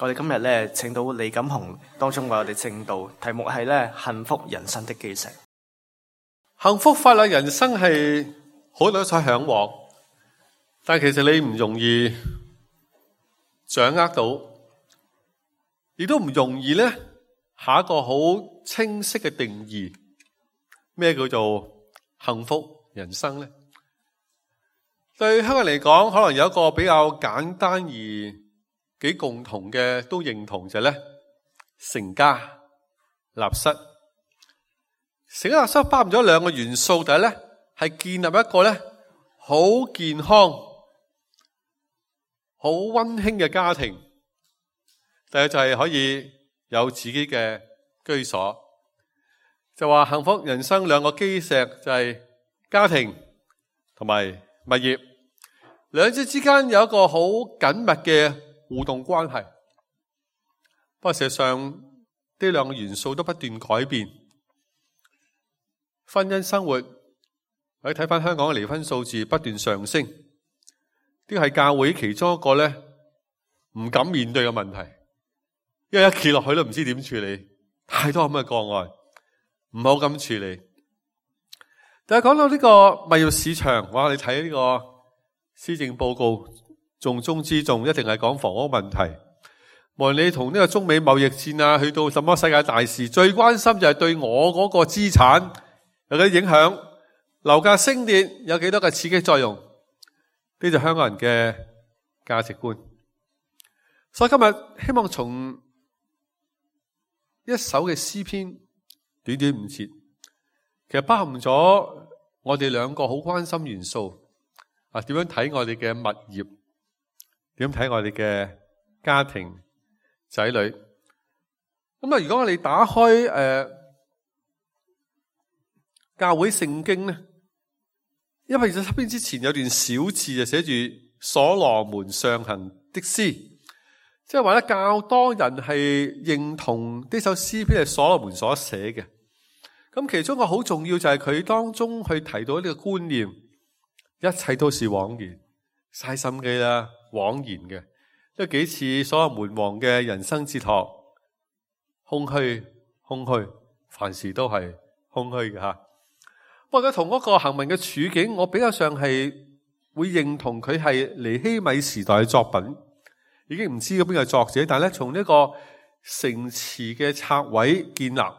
我哋今日咧請到李錦雄當中為我哋證道，題目係咧幸福人生的基石。幸福快樂人生係好多人所向往，但其實你唔容易掌握到，亦都唔容易咧下一個好清晰嘅定義，咩叫做幸福人生咧？對香港人嚟講，可能有一個比較簡單而幾共同嘅都認同就係咧成家立室。成家立室包含咗兩個元素，第一咧係建立一個咧好健康、好溫馨嘅家庭；第二就係可以有自己嘅居所。就話幸福人生兩個基石就係家庭同埋物業，兩者之間有一個好緊密嘅互動關係。不過事實上呢兩個元素都不斷改變。婚姻生活，我哋睇翻香港嘅離婚數字不斷上升，呢個係教會其中一個咧唔敢面對嘅問題，因為一企落去都唔知點處理，太多咁嘅個案，唔好咁處理。但係講到呢個物業市場，哇！你睇呢個施政報告，重中之重一定係講房屋問題。無論你同呢個中美貿易戰啊，去到什麼世界大事，最關心就係對我嗰個資產有幾影響，樓價升跌有幾多嘅刺激作用，呢就香港人嘅價值觀。所以今日希望從一首嘅詩篇短短5節，其實包含咗我哋兩個好關心元素啊，點樣睇我哋嘅物業，點睇我哋嘅家庭仔女。咁啊，如果我哋打開教會聖經咧，因為其實詩篇之前有段小字就寫住所羅門上行的詩，即係話咧較多人係認同呢首詩篇係所羅門所寫嘅。咁其中一個好重要就係佢當中去提到呢個觀念，一切都是枉然，嘥心機啦，枉然嘅，都幾似所羅門王嘅人生哲學，空虛，空虛，凡事都係空虛嘅吓。不過佢同嗰個行文嘅處境，我比較上係會認同佢係尼希米時代嘅作品，已經唔知邊個作者，但係咧從呢個城池嘅拆毀建立，呢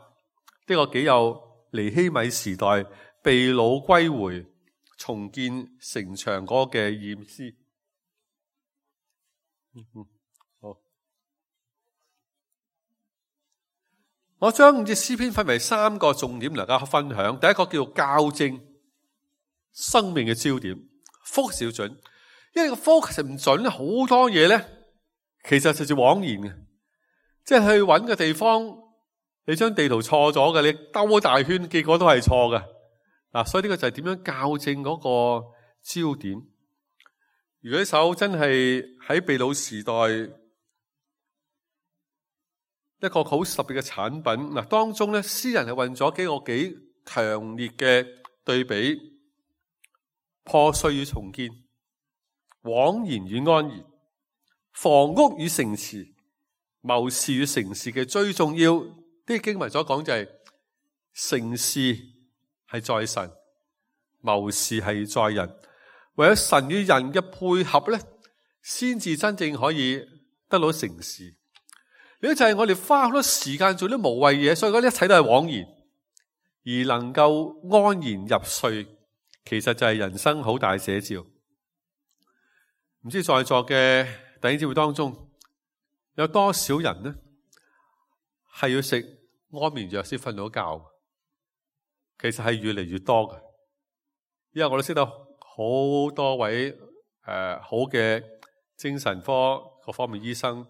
個幾有尼希米時代被擄歸回重建城牆嗰個嘅意思。好，我將5節詩篇分為3個重點嚟大家分享。第一個叫做校正生命嘅焦點 ，focus 要準。因為個 focus 唔準咧，好多嘢咧其實就係枉然嘅。即係去揾個地方，你將地圖錯咗嘅，你兜大圈，結果都係錯嘅。嗱，所以呢個就係點樣校正嗰個焦點。如果呢首真係喺被擄時代一個好特別嘅產品，嗱，當中咧詩人係運咗幾個幾強烈嘅對比：破碎與重建，枉然與安然，房屋與城池，謀士與城市嘅最重要。啲經文所講就係城市係在神，謀士係在人。為咗神與人嘅配合咧，先至真正可以得到成事。呢個就係我哋花好多時間做啲無謂嘢，所以嗰啲一切都係枉然。而能夠安然入睡，其實就係人生好大寫照。唔知在座嘅弟兄姊妹當中，有多少人呢係要食安眠藥先瞓到覺？其實係越嚟越多嘅，因為我都識得好多位好嘅精神科各方面醫生。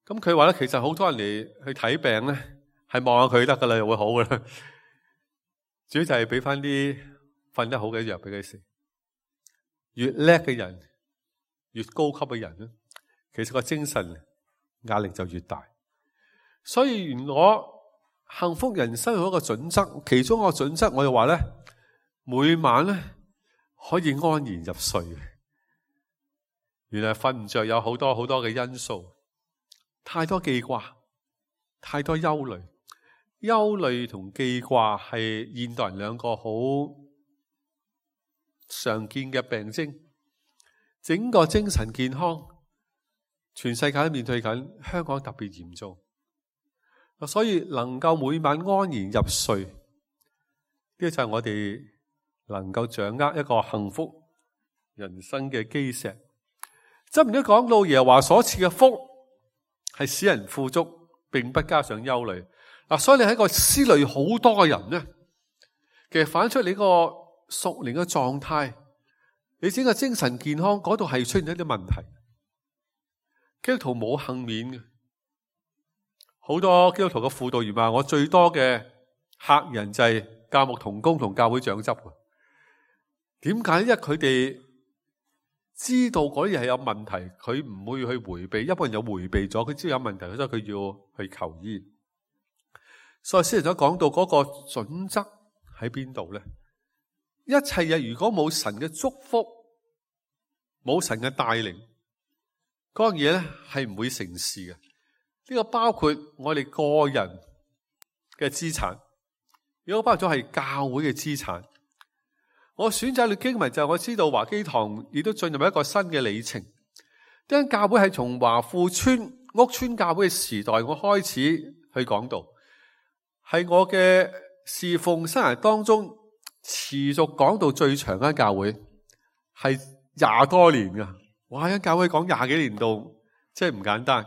咁佢話咧，其實好多人嚟去睇病咧，係望下佢得噶啦，就會好噶啦。主要就係俾翻啲瞓得好嘅藥俾佢食。越叻嘅人，越高級嘅人咧，其實個精神壓力就越大。所以原來幸福人生有一個準則，其中一個準則我就話咧，每晚咧可以安然入睡。原來瞓唔着有好多好多嘅因素。太多記掛，太多憂慮。憂慮同記掛係現代人兩個好常見嘅病徵。整個精神健康，全世界都面對緊，香港特別嚴重。所以能夠每晚安然入睡，呢個就係我哋能夠掌握一個幸福人生嘅基石。箴言都講到耶和華所賜嘅福係使人富足，並不加上憂慮。所以你係一個思慮好多嘅人呢，其實反出你個屬靈嘅狀態，你整個精神健康嗰度係出現一啲問題。基督徒冇幸免嘅，好多基督徒嘅輔導員話，我最多嘅客人就係教牧同工同教會長執。點解？因為佢哋知道嗰啲嘢係有問題，佢唔會去回避。一般人有回避咗，佢知道有問題，所以佢要去求醫。所以先頭講到嗰個準則喺邊度咧？一切嘢如果冇神嘅祝福，冇神嘅帶領，嗰樣嘢咧係唔會成事嘅。呢個包括我哋個人嘅資產，如果包括咗係教會嘅資產。我選擇嘅經文就係我知道華基堂亦都進入一個新嘅里程。因為教會係從華富村屋村教會嘅時代，我開始去講道，係我嘅侍奉生涯當中持續講到最長嘅教會，係20多年噶。哇！一教會講20幾年度，真係唔簡單。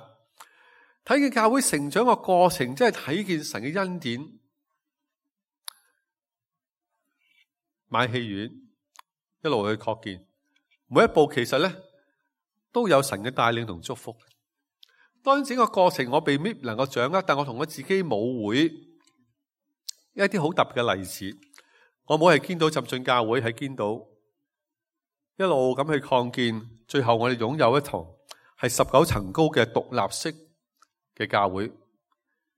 睇見教會成長嘅過程，真係睇見神嘅恩典。買戲院一路去擴建，每一步其實咧都有神嘅帶領同祝福。當然整個過程我未必能夠掌握，但我同我自己母會一啲好特別嘅例子。我母係見到浸信教會，係見到一路咁去擴建，最後我哋擁有一堂係19層高嘅獨立式嘅教會，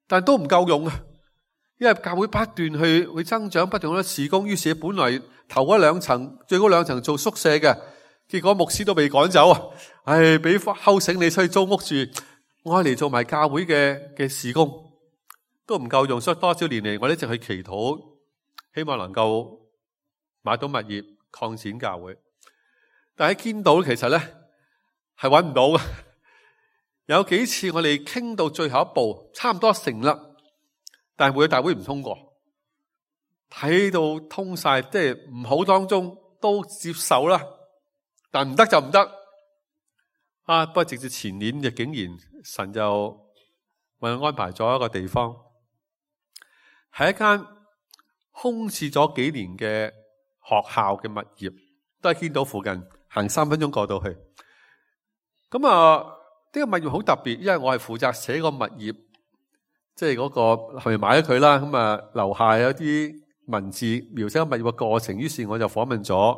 但都唔夠用啊！因為教會不斷去增長，不斷咁事工，於是本來頭嗰2層最高2層做宿舍嘅，結果牧師都被趕走啊！俾敲醒你出去租屋住，我嚟做埋教會嘅事工都唔夠用，所以多少年嚟我一直去祈禱，希望能夠買到物業擴展教會。但係見到其實咧係揾唔到嘅，有幾次我哋傾到最後一步，差唔多成啦。但係會大會唔通過，睇到通晒，即係唔好當中都接受啦，但唔得就唔得。不過直至前年就竟然神就為我安排咗一個地方，係一間空置咗幾年嘅學校嘅物業，都係見到附近行3分鐘過到去。咁呢個物業好特別，因為我係負責寫個物業。即係嗰個係咪買咗佢啦？咁樓下有啲文字描寫個物業嘅過程，於是我就訪問咗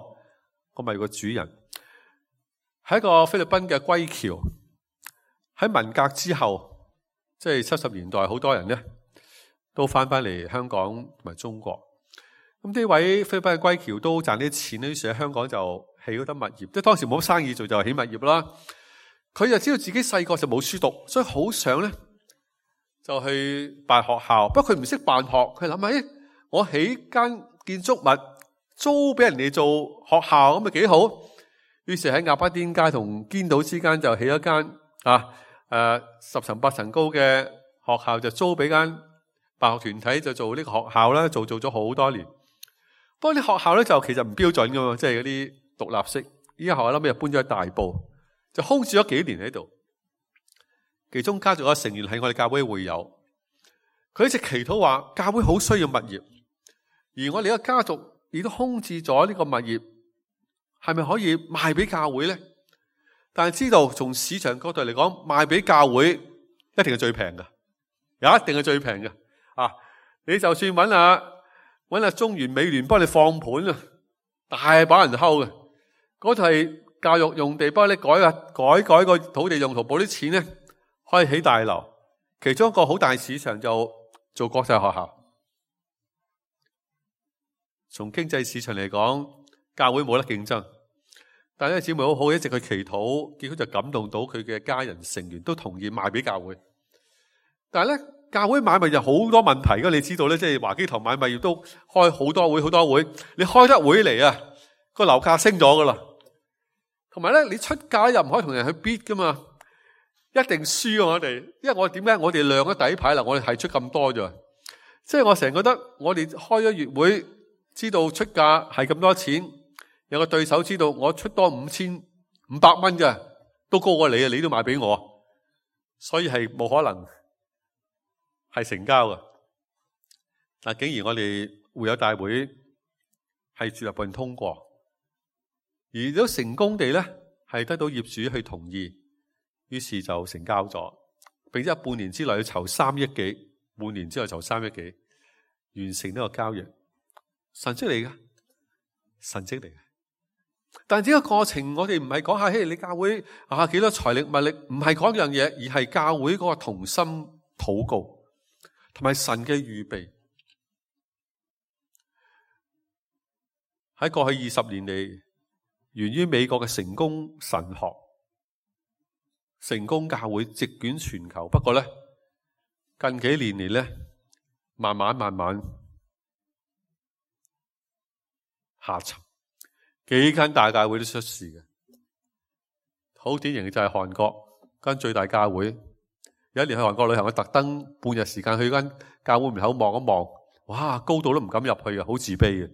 個物業嘅主人，係一個菲律賓嘅歸僑。喺文革之後，即係70年代，好多人咧都翻嚟香港同埋中國。咁呢位菲律賓嘅歸僑都賺啲錢，於是喺香港就起嗰啲物業。即係當時冇生意做，就起物業啦。佢就知道自己細個就冇書讀，所以好想咧就去辦學校，不過佢唔識辦學，佢諗下，我起間建築物租俾人哋做學校咁咪幾好。於是喺鴨巴甸街同堅道之間就起一間10層8層高嘅學校，就租俾間辦學團體就做呢個學校啦，做咗好多年。不過啲學校咧就其實唔標準噶嘛，即係嗰啲獨立式。依家學校後尾又搬咗去大埔，就空置咗幾年喺度。其中家族嘅成員係我哋教會會友，佢一直祈禱話教會好需要物業，而我哋嘅家族亦都空置咗呢個物業，係咪可以賣俾教會咧？但係知道從市場角度嚟講，賣俾教會一定係最平嘅，一定係最平嘅。你就算揾下中原美聯幫你放盤啊，大把人睺嘅。嗰度係教育用地，幫你改個土地用途，補啲錢咧。可以起大樓，其中一個好大市場就做國際學校。從經濟市場嚟講，教會冇得競爭。但係呢個姊妹好好，一直去祈禱，結果就感動到佢嘅家人成員都同意賣俾教會。但係咧，教會買賣有好多問題噶，你知道咧，即係華基堂買賣亦都開好多會，你開得會嚟啊，個樓價升咗噶啦。同埋咧，你出價又唔可以同人去 bid 噶嘛，一定輸啊！我哋，因為我點解我哋亮咗底牌啦？我哋係出咁多咋，即係我成日覺得我哋開咗月會，知道出價係咁多錢，有個對手知道我出多5500蚊嘅，都高過你啊！你都賣俾我，所以係冇可能係成交嘅。但竟然我哋會友大會係住立案通過。而都成功地咧，係得到業主去同意，於是就成交咗，並且半年之內要籌3億幾，半年之後籌3億幾，完成呢個交易，神蹟嚟嘅，神蹟嚟嘅。但係呢個過程，我哋唔係講下，嘿，你教會啊幾多財力物力，唔係講樣嘢，而係教會嗰個同心禱告，同埋神嘅預備。喺過去20年嚟，源於美國嘅成功神學、成功教會席捲全球。不過咧，近幾年嚟咧，慢慢下沉，幾間大教會都出事嘅。好典型嘅就係韓國間最大教會，有一年去韓國旅行，我特登半日時間去間教會門口望一望，哇，高度都唔敢入去啊，好自卑嘅，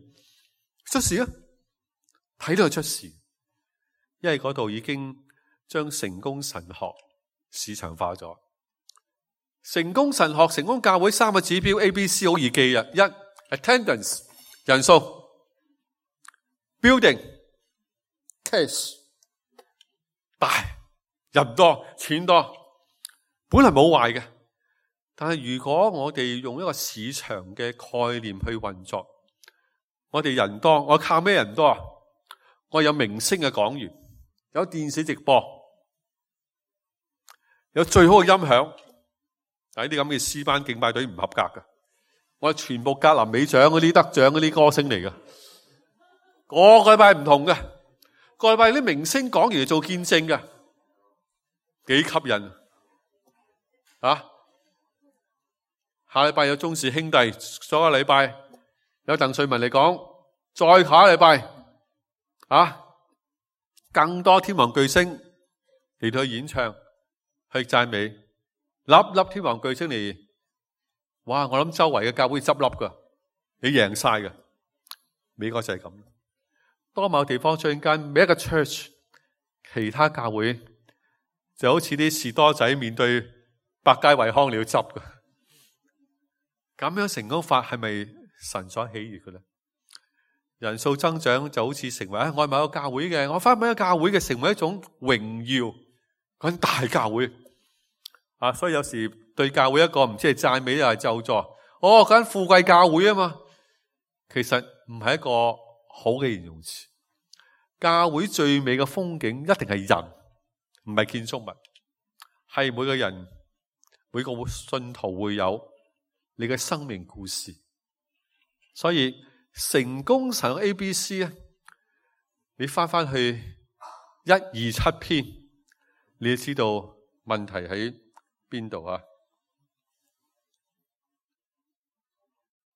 出事啊！睇到佢出事，因為嗰度已經將成功神學市場化咗。成功神學、成功教會3個指標 ABC 好易記啊！1 attendance 人數 ，building case 大人多錢多，本來冇壞嘅。但係如果我哋用一個市場嘅概念去運作，我哋人多，我靠咩人多啊？我有明星嘅講員，有電視直播，有最好嘅音響。但係啲咁嘅詩班敬拜隊唔合格嘅，我係全部格林美獎嗰啲得獎嗰啲歌星嚟嘅，個個禮拜唔同嘅，個禮拜啲明星講完做見證嘅，幾吸引啊！下禮拜有鍾氏兄弟，上個禮拜有鄧萃雯嚟講，再下個禮拜。更多天王巨星嚟到去演唱，去讚美，粒天王巨星嚟，哇！我諗周圍嘅教會執笠噶，你贏晒嘅。美國就係咁，多某地方最間每一個 church， 其他教會就好似啲士多仔面對百佳惠康你要執噶，咁樣成功法係咪神所喜悅嘅咧？人數增長就好似成為我係某個教會嘅，我翻某個教會嘅，成為一種榮耀，嗰大教會啊！所以有時對教會一個唔知係讚美又係咒詛，嗰間富貴教會啊嘛，其實唔係一個好嘅形容詞。教會最美嘅風景一定係人，唔係建築物，係每個人每個信徒會有你嘅生命故事，所以。成功神學 ABC 咧，你翻去127篇，你就知道問題喺邊度啊？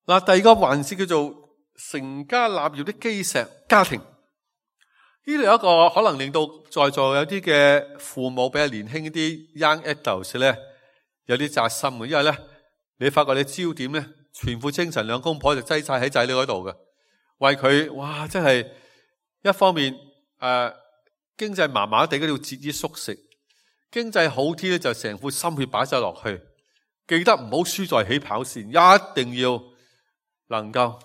嗱，第二個環節叫做成家立業的基石家庭。呢度有一個可能令到在座有啲嘅父母比較年輕啲 young adults 咧，有啲扎心嘅，因為咧你發覺你焦點咧。全副精神兩公婆就擠晒喺仔女嗰度嘅，為佢哇真係一方面經濟麻麻地嗰度節衣縮食，經濟好啲咧就成副心血擺晒落去，記得唔好輸在起跑線，一定要能夠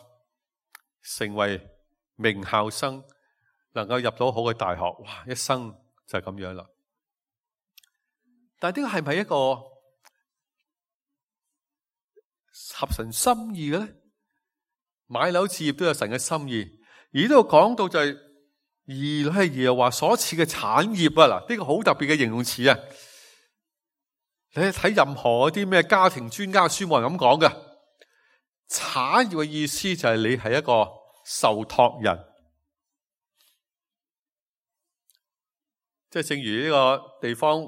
成為名校生，能夠入到好嘅大學，哇一生就係咁樣啦。但係呢個係咪一個合神心意嘅咧？買樓置業都有神嘅心意，而呢度講到就係兒女係耶和華所賜嘅產業啊！嗱，呢個好特別嘅形容詞啊！你睇任何嗰啲咩家庭專家書冇人咁講嘅，產業嘅意思就係你係一個受託人，即係正如呢個地方，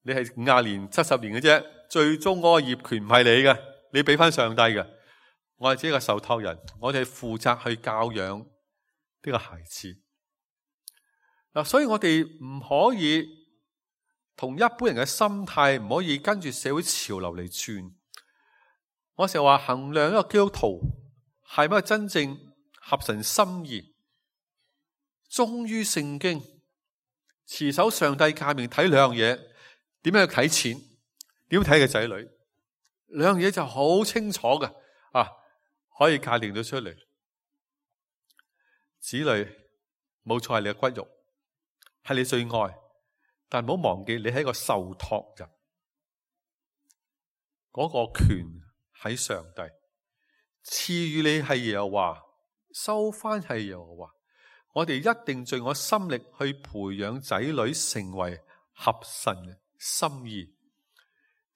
你係50年、70年嘅啫。最終嗰個業權唔係你嘅，你俾翻上帝嘅。我哋只係個受託人，我哋係負責去教養呢個孩子。嗱，所以我哋唔可以同一般人嘅心態，唔可以跟住社會潮流嚟轉。我成日話衡量一個基督徒係咪真正合神心意，忠於聖經，持守上帝誡命，睇兩樣嘢，點樣去睇錢，點樣睇個仔女，兩樣嘢就好清楚嘅啊，可以界定到出嚟。子女冇錯係你嘅骨肉，係你最愛，但唔好忘記你係一個受託人，嗰個權喺上帝，賜予你係耶和華，收翻係耶和華。我哋一定盡我心力去培養仔女成為合神心意。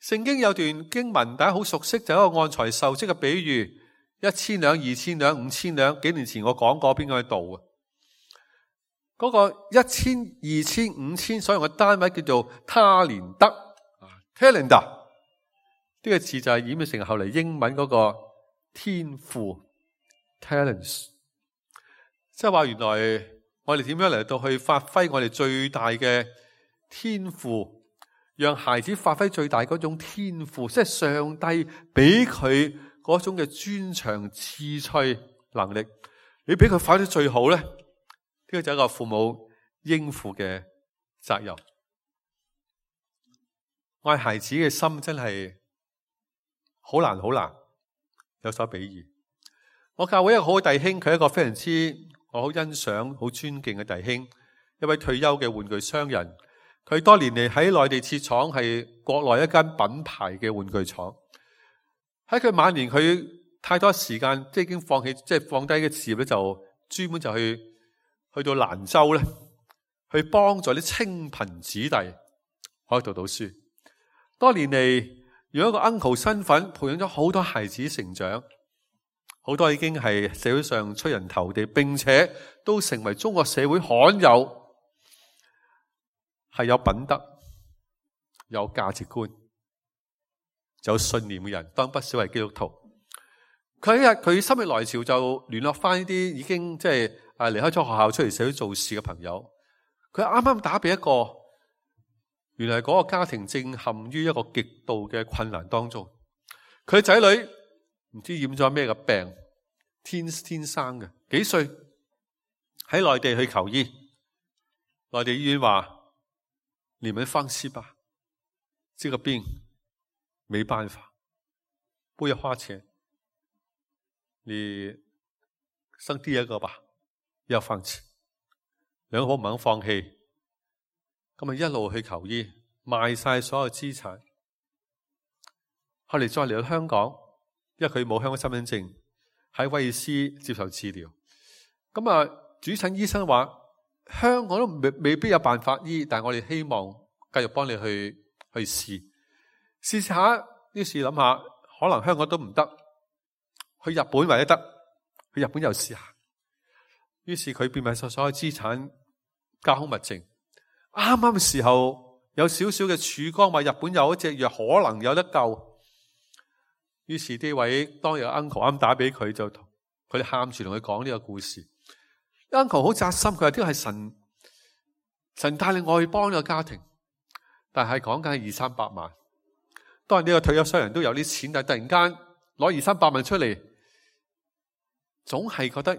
聖經有段經文大家好熟悉，就係一個按財受職嘅比喻，1,000兩、2,000兩、5,000兩。幾年前我講過，邊個喺度啊？嗰個1,000、2,000、5,000所用嘅單位叫做他連德 （talenta）。呢個字就係演變成後嚟英文嗰個天賦 （talents）。即係話原來我哋點樣嚟到去發揮我哋最大嘅天賦，讓孩子發揮最大嗰種天賦，即係上帝俾佢嗰種嘅專長、智趣、能力，你俾佢發揮得最好咧，呢個就係一個父母應負嘅責任。愛孩子嘅心真係好難，有所比擬。我教會一個好嘅弟兄，佢係一個非常之我好欣賞、好尊敬嘅弟兄，一位退休嘅玩具商人。佢多年嚟喺內地設廠，係國內一間品牌嘅玩具廠。喺佢晚年，佢太多時間，即係已經放棄，即係放低嘅事業咧，就專門就去到蘭州咧，去幫助啲清貧子弟可以讀到書。多年嚟，用一個 uncle 身份培養咗好多孩子成長。好多已經係社會上出人頭地，並且都成為中國社會罕有係有品德、有價值觀、有信念嘅人，當然不少係基督徒。佢一日佢心血來潮就聯絡翻呢啲已經即係離開咗學校出嚟社會做事嘅朋友。佢啱啱打俾一個，原來嗰個家庭正陷於一個極度嘅困難當中，佢仔女唔知染咗咩嘅病，天生嘅，幾歲喺內地去求醫，內地醫院話你們放棄吧，這個病沒辦法，不要花錢，你生第二個吧，要放棄。兩個唔肯放棄，咁啊一路去求醫，賣晒所有資產，後嚟再嚟到香港。因為佢冇香港身份證，喺威爾斯接受治療。咁啊，主診醫生話香港都未必有辦法醫，但係我哋希望繼續幫你去試下。於是諗下，可能香港都唔得，去日本或者得，去日本又試下。於是佢變賣晒所有資產，交空物證。啱啱嘅時候有少少嘅曙光，話日本有一隻藥可能有得救。於是呢位當日 uncle 啱打俾佢，就佢哋喊住同佢講呢個故事。uncle 好扎心，佢話呢個係神帶領我去幫呢個家庭，但係講緊係200-300萬。當然呢個退休商人都有啲錢，但係突然間攞200-300萬出嚟，總係覺得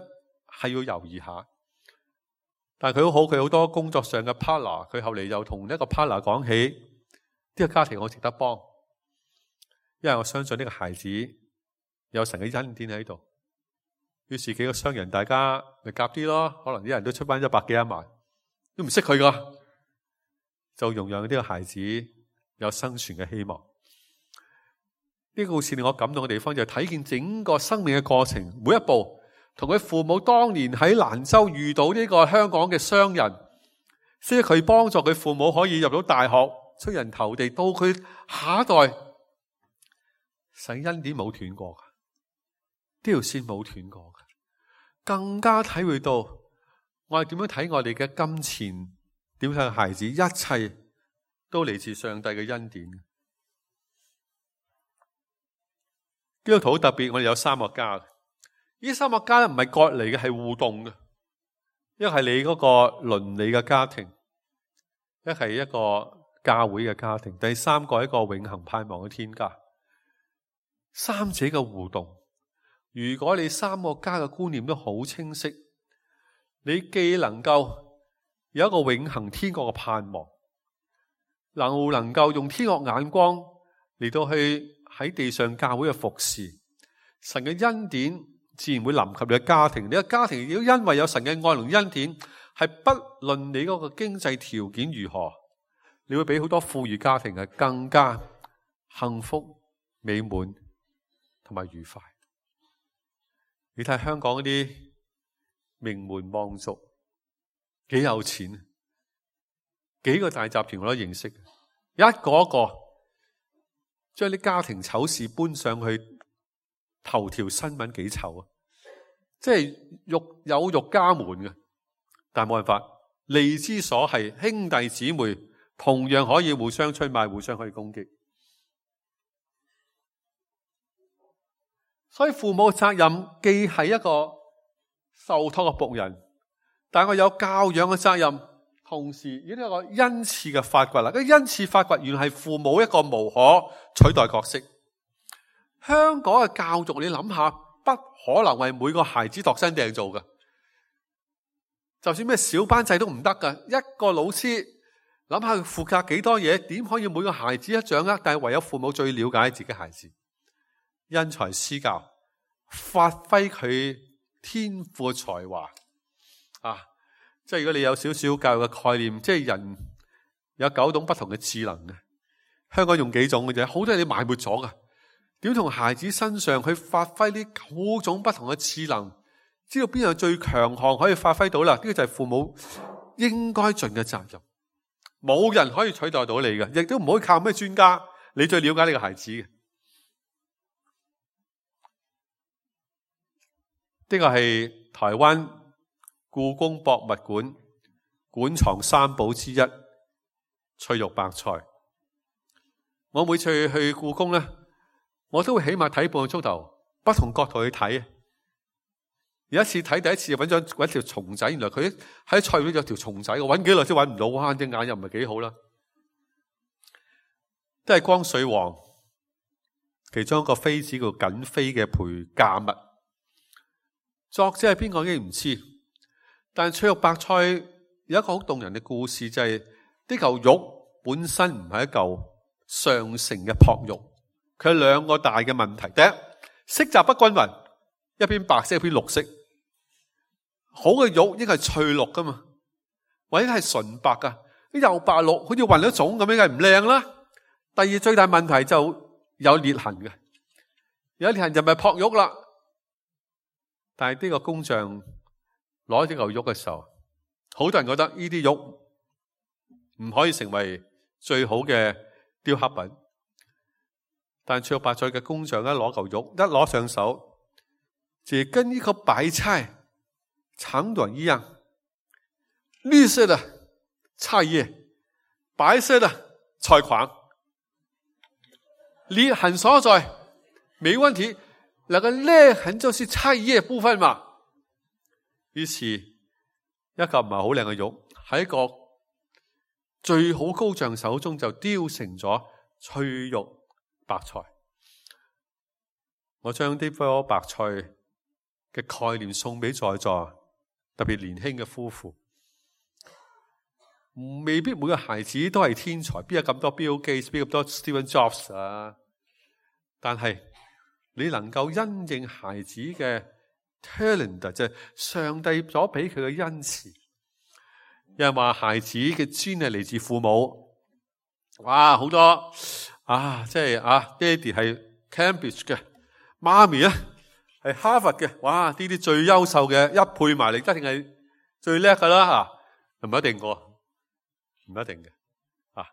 係要猶豫下。但係佢好，佢好多工作上嘅 partner， 佢後嚟又同一個 partner 講起呢個家庭好值得幫。因為我相信呢個孩子有神嘅恩典喺度，於是幾個商人大家咪夾啲咯，可能啲人都出翻100幾1萬，都唔識佢噶，就容讓呢個孩子有生存嘅希望。呢個故事令我感動嘅地方就係睇見整個生命嘅過程，每一步同佢父母當年喺蘭州遇到呢個香港嘅商人，即係佢幫助佢父母可以入到大學，出人頭地，到佢下一代。神恩典冇斷過噶，呢條線冇斷過噶，更加體會到我哋點樣睇我哋嘅金錢，點睇孩子，一切都嚟自上帝嘅恩典。基督徒特別，我哋有三個家。呢三個家咧唔係割離嘅，係互動嘅。一係你嗰個倫理嘅家庭，一係一個教會嘅家庭，第三個係一個永恆盼望嘅天家。三者嘅互動，如果你三個家嘅觀念都好清晰，你既能夠有一個永恆天國嘅盼望，又能夠用天國眼光嚟到去喺地上教會嘅服侍，神嘅恩典自然會臨及你嘅家庭。你嘅家庭如果因為有神嘅愛同恩典，係不論你嗰個經濟條件如何，你會比好多富裕家庭係更加幸福美滿同埋愉快。你睇香港嗰啲名門望族幾有錢，幾個大集團我都認識，一個一個將啲家庭醜事搬上去頭條新聞，幾醜啊！即係有辱家門嘅，但係冇辦法，利之所係，兄弟姊妹同樣可以互相出賣，互相可以攻擊。所以父母嘅責任既係一個受託嘅僕人，但係我有教養嘅責任，同時亦都有一個恩賜嘅發掘啦。嗰恩賜發掘原來係父母一個無可取代角色。香港嘅教育你諗下，不可能為每個孩子度身訂造嘅，就算咩小班制都唔得㗎。一個老師諗下佢負責幾多嘢，點可以每個孩子一掌握？但係唯有父母最了解自己孩子，因材施教，發揮佢天賦嘅才華啊！即係如果你有少少教育嘅概念，即係人有9種不同嘅智能嘅，香港用幾種嘅啫，好多嘢你埋沒咗噶。點從孩子身上去發揮呢9種不同嘅智能，知道邊樣最強項可以發揮到啦？呢個就係父母應該盡嘅責任。冇人可以取代到你嘅，亦都唔可以靠咩專家，你最了解你個孩子嘅。呢個係台灣故宮博物館館藏三寶之一翠玉白菜。我每次去故宮咧，我都會起碼睇半個鐘頭，不同角度去睇。有一次睇第一次就揾條蟲仔，原來佢喺菜裏有條蟲仔，我揾幾耐先揾唔到，哇！隻眼又唔係幾好啦。都係光緒皇其中一個妃子叫瑾妃嘅陪嫁物。作者係邊個已經唔知，但翠玉白菜有一個好動人嘅故事，就係呢嚿肉本身唔係一嚿上乘嘅璞玉，佢有2個大嘅問題。第一，色澤不均勻，一邊白色一邊綠色。好嘅玉應該係翠綠噶嘛，或者係純白噶，又白綠，好似混咗種咁樣，梗係唔靚啦。第二，最大問題就有裂痕嘅，有裂痕就咪璞玉啦。但係呢個工匠攞呢嚿玉嘅時候，好多人覺得呢啲玉唔可以成為最好嘅雕刻品。但翠玉白菜嘅工匠一攞嚿玉，一攞上手，就跟呢個白菜長短一樣，綠色的菜葉，白色的菜框，裂痕所在沒問題。那個裂痕就是菜葉部分嘛。於是一嚿唔係好靚嘅玉，喺一個最好高匠手中就雕成咗翠玉白菜。我將呢顆白菜嘅概念送俾在座特別年輕嘅夫婦。未必每個孩子都係天才，邊有咁多 Bill Gates，邊有咁多 Steve Jobs 啊？但係你能夠因應孩子嘅 talent， 就係上帝所俾佢嘅恩賜。有人話孩子嘅專係嚟自父母，哇，好多啊，即係啊，爹哋係 Cambridge 嘅，媽咪咧係 Harvard 嘅，哇，呢啲最優秀嘅一配埋嚟，一定係最叻噶啦吓，唔一定嘅，唔一定嘅啊。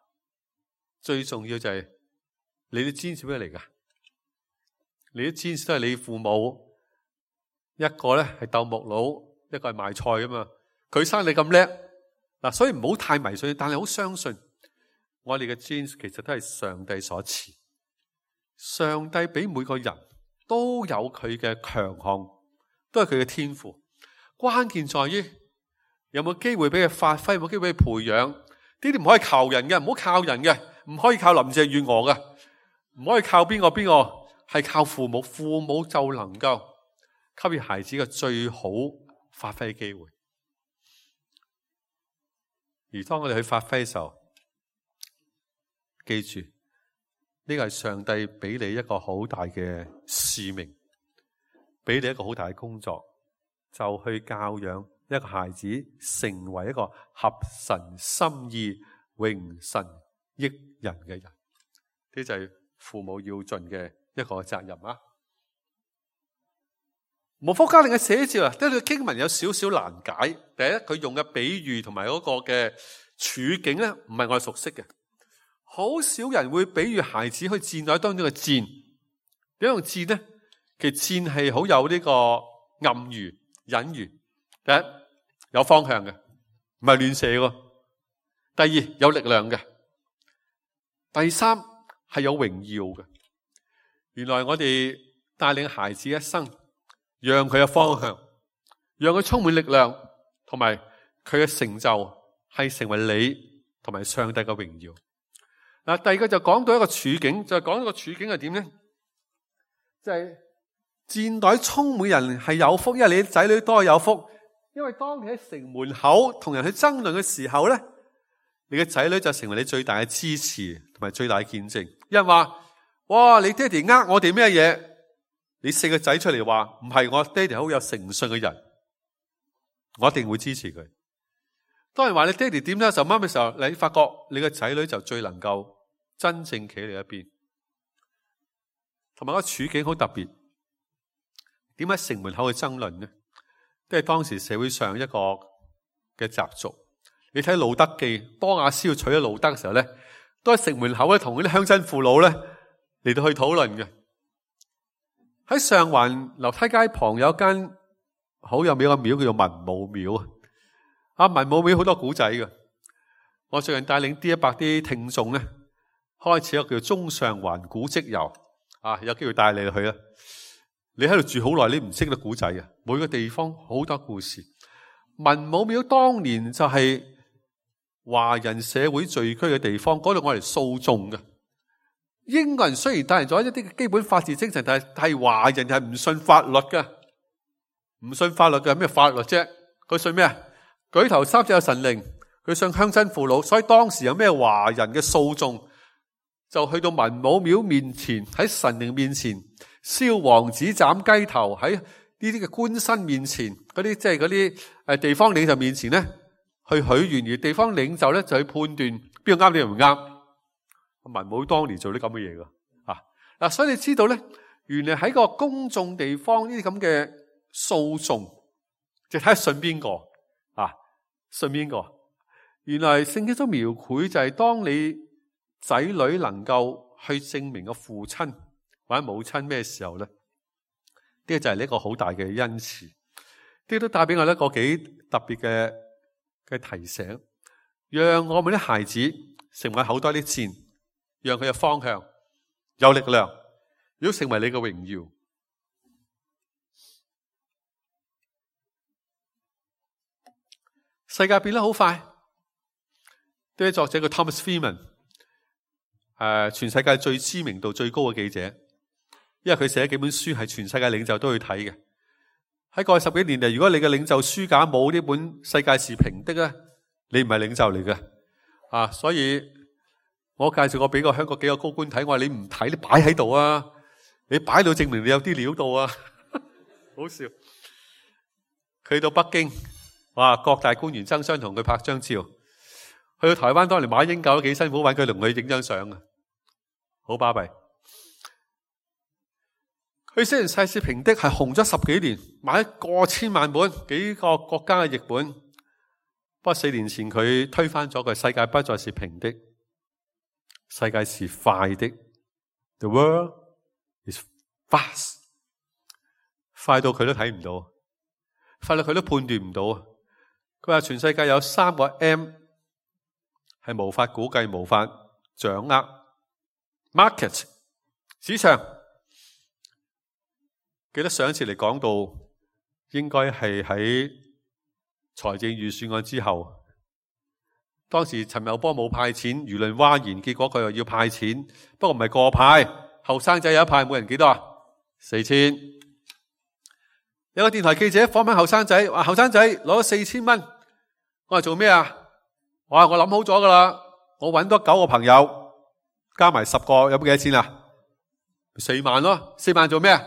最重要就係你啲專係咩嚟噶？你啲知識都係你父母，一個咧係鬥木佬，一個係賣菜噶嘛。佢生你咁叻嗱，所以唔好太迷信，但係好相信我哋嘅知識其實都係上帝所賜。上帝俾每個人都有佢嘅強項，都係佢嘅天賦。關鍵在於有冇機會俾佢發揮，有冇機會俾佢培養。呢啲唔可以靠人嘅，唔好靠人嘅，唔可以靠林鄭月娥嘅，唔可以靠邊個，係靠父母。父母就能夠給予孩子嘅最好發揮嘅機會。而當我哋去發揮嘅時候，記住呢個係上帝俾你一個好大嘅使命，俾你一個好大嘅工作，就去教養一個孩子成為一個合神心意、榮神益人嘅人。呢就係父母要盡嘅一個責任啊！無福家令嘅寫照啊，呢個經文有少少難解。第一，佢用嘅比喻同埋嗰個嘅處境咧，唔係我哋熟悉嘅。好少人會比喻孩子去戰鬥當中嘅戰。點樣用戰呢？其實戰係好有呢個暗喻、隱喻。第一，有方向嘅，唔係亂射嘅。第二，有力量嘅。第三，係有榮耀嘅。原來我哋帶領孩子一生，讓佢嘅方向，讓佢充滿力量，同埋佢嘅成就係成為你同埋上帝嘅榮耀。嗱，第二個就講到一個處境，就係講一個處境係點咧？就係戰隊充滿人係有福，因為你仔女多有福。因為當你喺城門口同人去爭論嘅時候咧，你嘅仔女就成為你最大嘅支持同埋最大嘅見證。有人話：哇，你爹哋呃我哋咩嘢？你4個仔出嚟話唔係，我爹哋好有誠信嘅人，我一定會支持佢。當人話你爹哋點咧，就啱嘅時候，你發覺你嘅仔女就最能夠真正企你一邊。同埋個處境好特別，點解城門口去爭論呢？都係當時社會上一個嘅習俗。你睇《路德記》，波亞斯要娶咗路德嘅時候咧，都喺城門口咧同嗰啲鄉親父老咧嚟到去討論嘅。喺上環樓梯街旁有一間好有名嘅廟，叫做文武廟啊。文武廟好多古仔嘅。我最近帶領 D100啲聽眾咧，開始一個叫中上環古蹟遊啊，有機會帶你去啊。你喺度住好耐，你唔識得古仔啊！每個地方好多故事。文武廟當年就係華人社會聚居嘅地方，嗰度我嚟訴訟嘅。英國人雖然帶嚟咗一啲基本法治精神，但係華人係唔信法律嘅，唔信法律嘅咩法律啫？佢信咩啊？舉頭三尺有神靈，佢信鄉親父老。所以當時有咩華人嘅訴訟，就去到文武廟面前，喺神靈面前。燒黃紙斬雞頭，喺呢啲嘅官紳面前，嗰啲即係嗰啲地方領袖面前咧，去許願，而地方領袖咧就去判斷邊個啱，邊個唔啱。文武當年做啲咁嘅嘢噶嗱，所以你知道咧，原來喺個公眾地方呢啲咁嘅訴訟，就睇下信邊個信邊個。原來聖經都描繪就係當你仔女能夠去證明個父親或者母親咩時候咧？呢個就係呢個好大嘅恩賜，呢都帶俾我一個幾特別嘅提醒，讓我們啲孩子成為好多啲箭，讓佢嘅方向有力量，如果成為你嘅榮耀。世界變得好快，呢位作者叫 Thomas Friedman， 全世界最知名度最高嘅記者。因為佢寫幾本書係全世界領袖都去睇嘅。喺過去10幾年嚟，如果你嘅領袖書架冇呢本世界是平的咧，你唔係領袖嚟嘅所以我介紹過俾個香港幾個高官睇，我話你唔睇，你擺喺度啊，你擺到證明你有啲料到啊。好笑。佢到北京，哇，各大官員爭相同佢拍張照。去到台灣，當年馬英九都幾辛苦揾佢同佢影張相啊，好巴閉。佢寫完世事平的係紅咗10幾年，買過千萬本，幾個國家嘅譯本。不過4年前佢推翻咗佢，世界不再是平的，世界是快的。The world is fast， 快到佢都睇唔到，快到佢都判斷唔到。佢話全世界有3個 M 係無法估計、無法掌握。Market 市場。記得上一次嚟講到，應該係喺財政預算案之後，當時陳茂波冇派錢，輿論譁然，結果佢又要派錢，不過唔係個派，後生仔有一派，每人幾多啊？4000。有個電台記者訪問後生仔，話後生仔攞咗4000蚊，我話做咩啊？我話我諗好咗噶啦，我搵多9個朋友，加埋10個，有冇幾多錢啊？4萬咯，4萬做咩啊？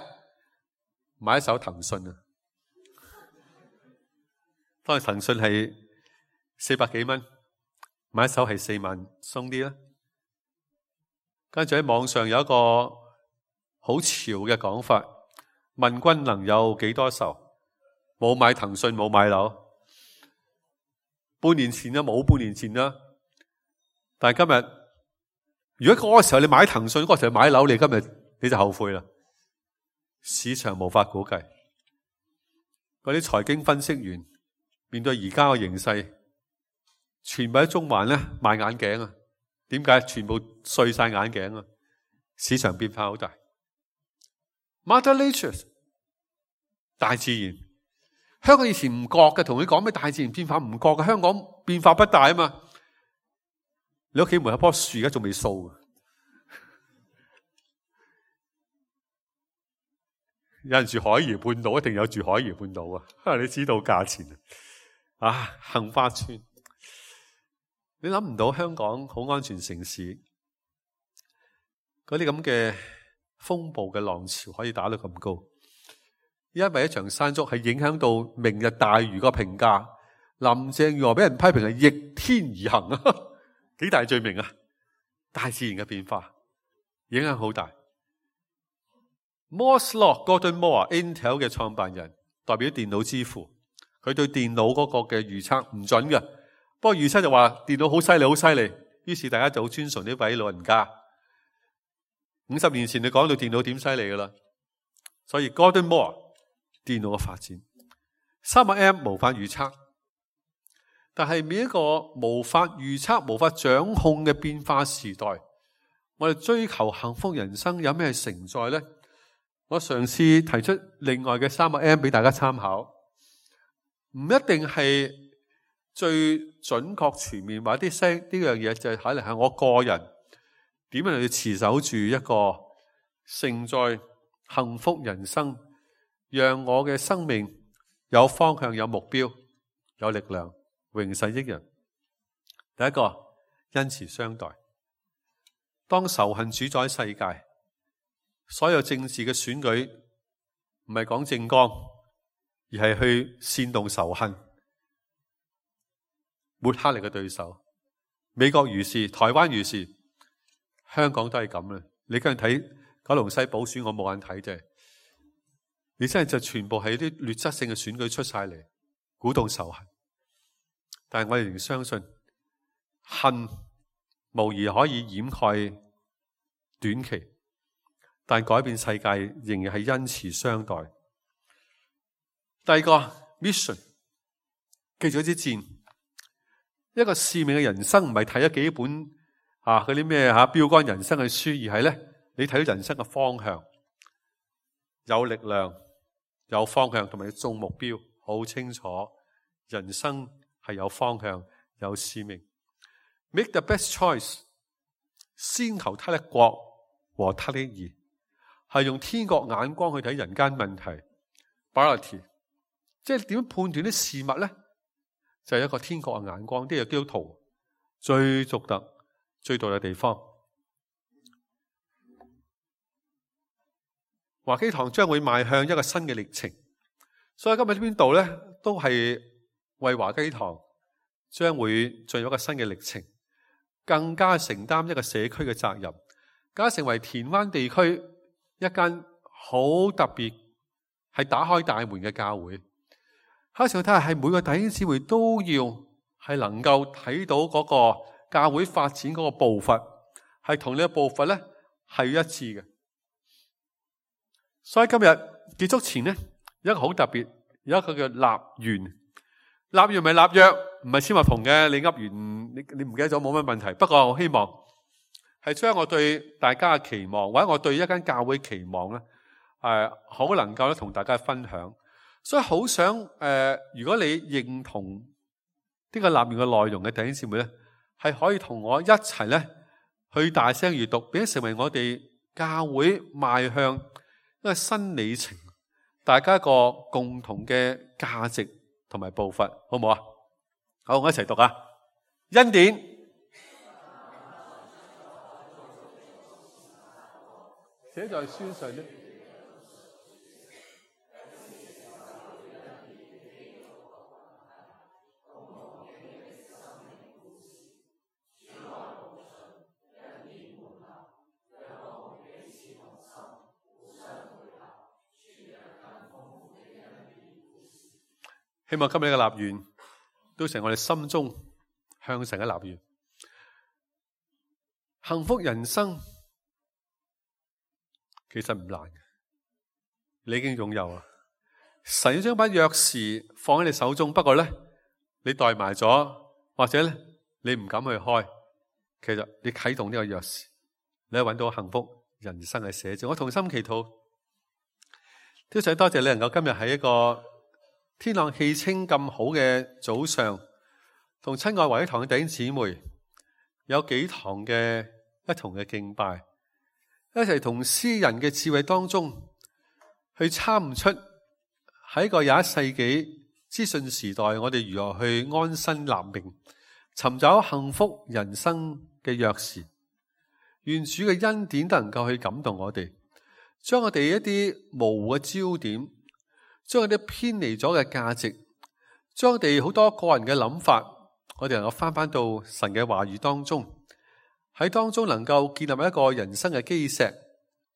買一手騰訊啊！當時騰訊係400幾蚊，買一手係4萬鬆啲啦。跟住喺網上有一個好潮嘅講法，問君能有幾多愁？冇買騰訊，冇買樓。半年前啦，冇半年前啦。但係今日，如果嗰個時候你買騰訊，嗰個時候買樓，你今日你就後悔啦。市場無法估計，嗰啲財經分析員面對而家嘅形勢，全部喺中環咧賣眼鏡啊！點解？全部碎晒眼鏡啊！市場變化好大。Mother Nature， 大自然，香港以前唔覺嘅，同佢講咩大自然變化唔覺嘅，香港變化不大啊嘛。你屋企門口棵樹而家仲未掃。有人住海怡半島，一定有住海怡半島啊！你知道價錢啊？杏花村，你諗唔到香港好安全城市，嗰啲咁嘅風暴嘅浪潮可以打到咁高，因為一場山竹係影響到明日大嶼個評價。林鄭月娥俾人批評係逆天而行啊，幾大罪名啊！大自然嘅變化影響好大。Moore's Law Gordon Moore，Intel 嘅創辦人，代表電腦之父，佢對電腦嗰個嘅預測唔準嘅，不過預測就話電腦好犀利，好犀利，於是大家就好尊崇呢位老人家。50年前你講到電腦點犀利噶啦，所以 Gordon Moore 電腦嘅發展，3M 無法預測，但係每一個無法預測、無法掌控嘅變化時代，我哋追求幸福人生有咩承載呢？我嘗試提出另外嘅3個M 俾大家參考，唔一定係最準確全面，或者呢樣嘢就係可能係我個人點樣去持守住一個承載幸福人生，讓我嘅生命有方向、有目標、有力量，榮世益人。第一個，恩慈相待。當仇恨主宰世界，所有政治嘅選舉唔係講政綱，而係去煽動仇恨，抹黑你嘅對手。美國如是，台灣如是，香港都係咁啦。你今日睇九龍西補選，我冇眼睇啫。你真係就全部係啲劣質性嘅選舉出晒嚟，鼓動仇恨。但係我哋仍相信，恨無疑可以掩蓋短期，但改變世界仍然係恩慈相待。第二個 mission， 記住一支箭，一個使命嘅人生唔係睇咗幾本嗰啲咩標杆人生嘅書，而係咧你睇到人生嘅方向，有力量、有方向，同埋種目標好清楚。人生係有方向、有使命。Make the best choice， 先求他的國和他的義，係用天國眼光去睇人間問題。Priority， 即係點樣判斷啲事物咧？就係一個天國嘅眼光，呢個基督徒最獨特、最獨特嘅地方。華基堂將會邁向一個新嘅歷程，所以今日呢邊度咧，都係為華基堂將會進入一個新嘅歷程，更加承擔一個社區嘅責任，更加成為田灣地區一間好特別係打開大門嘅教會。下次我睇下係每個弟兄姊妹都要係能夠睇到嗰個教會發展嗰個步伐，係同你嘅步伐咧係一致嘅。所以今日結束前咧，有一個好特別，有一個叫立願。立願唔係立約，唔係簽合同嘅。你噏完你唔記得咗冇乜問題。不過我希望係將我對大家嘅期望，或者我對一間教會期望咧，好能夠咧同大家分享。所以好想如果你認同呢個立願嘅內容嘅弟兄姊妹咧，係可以同我一齊咧去大聲閱讀，並且成為我哋教會邁向一個新里程，大家一個共同嘅價值同埋步伐，好唔好啊？好，我一齊讀啊！恩典，寫在書上呢。希望今日嘅立願都成我哋心中向神嘅立願。幸福人生其實唔難嘅，你已經擁有啦。神要將把鑰匙放喺你手中，不過咧你怠埋咗，或者咧你唔敢去開。其實你啟動呢個鑰匙，你揾到幸福人生嘅寫照。我同心祈禱，都想多謝你能夠今日喺一個天朗氣清咁好嘅早上，同親愛華一堂嘅弟兄姊妹有幾堂嘅一同嘅敬拜，一齊同詩人嘅智慧當中去參悟出喺個21世紀資訊時代，我哋如何去安身立命，尋找幸福人生嘅鑰匙。願主嘅恩典都能夠去感動我哋，將我哋一啲模糊嘅焦點，將我哋偏離咗嘅價值，將我哋好多個人嘅諗法，我哋能夠翻到神嘅話語當中，喺當中能夠建立一個人生嘅基石，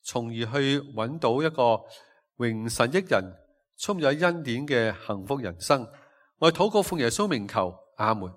從而去揾到一個榮神益人、充滿恩典嘅幸福人生。我哋禱告奉耶穌名求，阿門。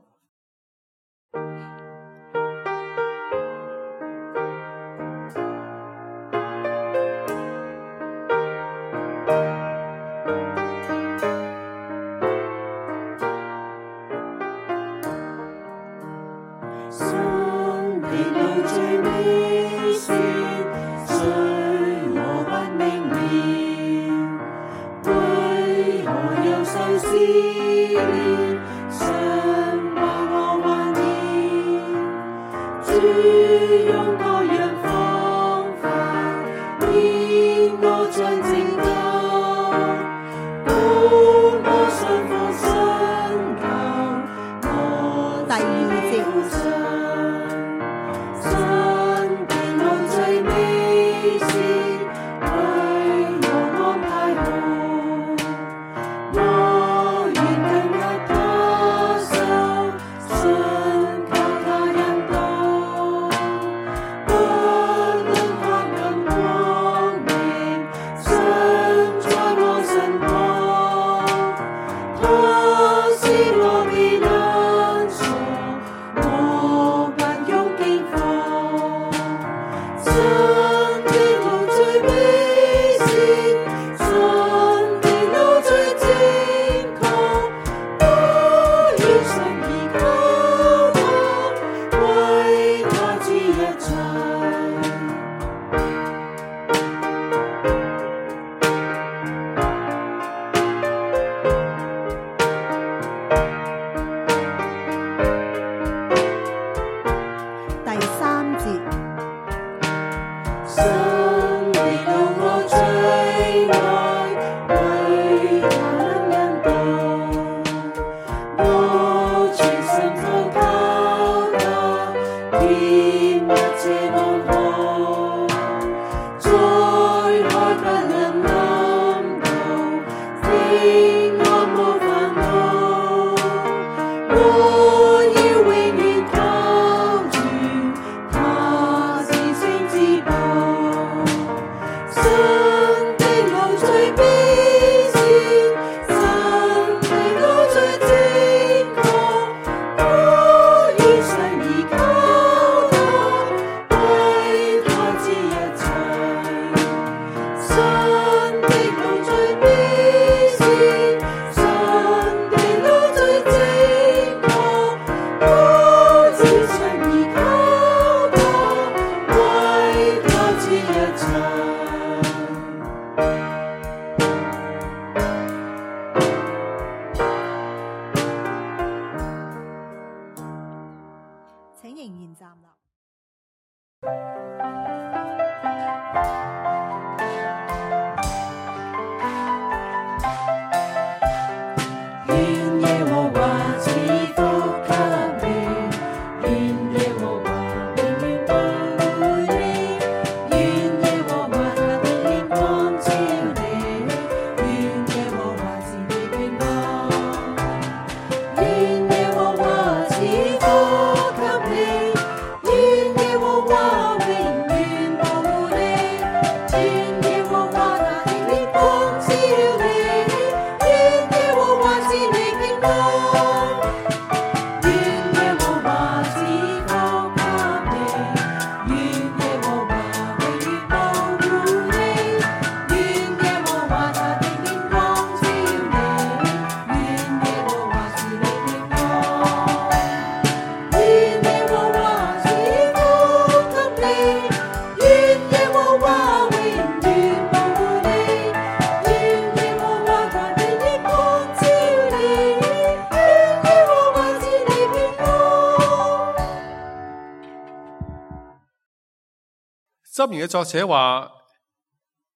箴言嘅作者話，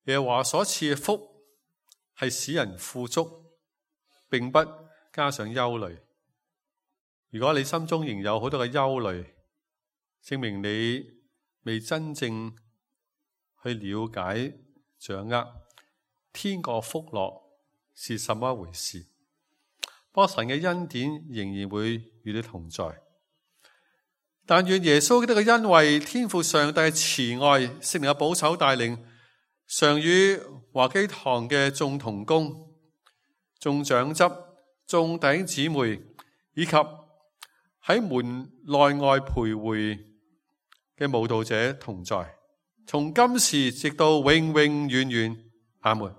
耶和華所賜嘅福係使人富足，並不加上憂慮。如果你心中仍有好多嘅憂慮，證明你未真正去了解掌握天國福樂是什麼一回事。不過神嘅恩典仍然會與你同在。但願耶穌基督嘅恩惠、天父上帝嘅慈愛、聖靈嘅保守帶領，常與華基堂嘅眾同工、眾長執、眾弟兄姊妹，以及喺門內外徘徊嘅慕道者同在，從今時直到永永遠遠。阿門。